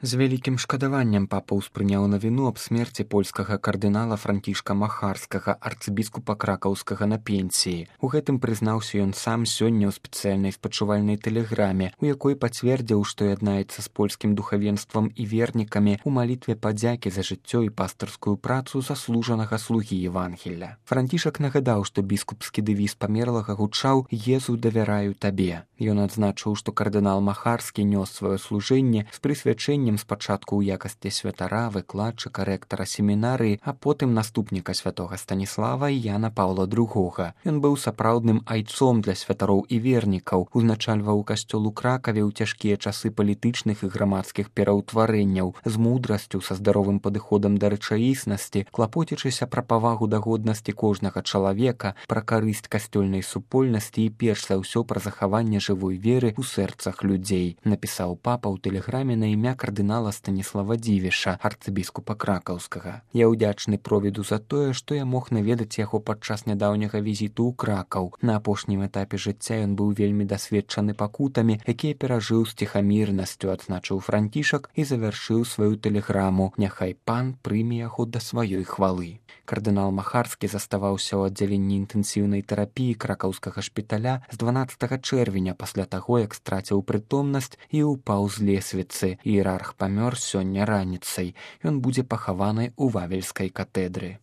З вялікім шкадаваннем папа ўспрыняў навіну аб смерці польскага кардынала Францішка Махарскага, арцыбіскупа кракаўскага на пенсіі. У гэтым прызнаўся ён сам сёння ў спецыяльнай спачувальнай тэлеграме, у якой пацвердзіў, што яднаецца з польскім духавенствам і вернікамі ў малітве падзякі за жыццё і пастырскую працу заслужанага слугі Евангелля. Францішак нагадаў, што біскупскі дэвіз памерлага гучаў «Езу, давяраю табе». Ён адзначыў, што кардынал Махарскі нёс сваё служэнне з прысвячэннем спачатку ў якасці святара, выкладчыка, рэктара семінарыі, а потым наступніка святога Станіслава і Яна Паўла II. Ён быў сапраўдным айцом для святароў і вернікаў, узначальваў касцёл у Кракаве ў цяжкія часы палітычных і грамадскіх пераўтварэнняў, з мудрасцю, са здаровым падыходам да рэчаіснасці, клапоцячыся пра павагу да годнасці кожнага чалавека, пра карысць касцёльнай супольнасці і перш за ўсё пра захаванне жывой веры ў сэрцах людзей, напісаў папа ў тэлеграме на імя кардынала Станіслава Дзівіша, арцыбіскупа кракаўскага. Я ўдзячны провіду за тое, што я мог наведаць яго падчас нядаўняга візіту ў Кракаў. На апошнім этапе жыцця ён быў вельмі дасведчаны пакутамі, якія перажыў з ціхамірнасцю, адзначыў Францішак і завяршыў сваю тэлеграму «Няхай пан прыме яго да сваёй хвалы». Кардынал Махарскі заставаўся ў аддзяленні інтэнсіўнай тэрапіі кракаўскага шпіталя з 12 чэрвеня пасля таго, як страціў прытомнасць і ўпаў з лесвіцы. Іерарх памёр сёння раніцай. Ён будзе пахаваны ў Вавельскай катэдры.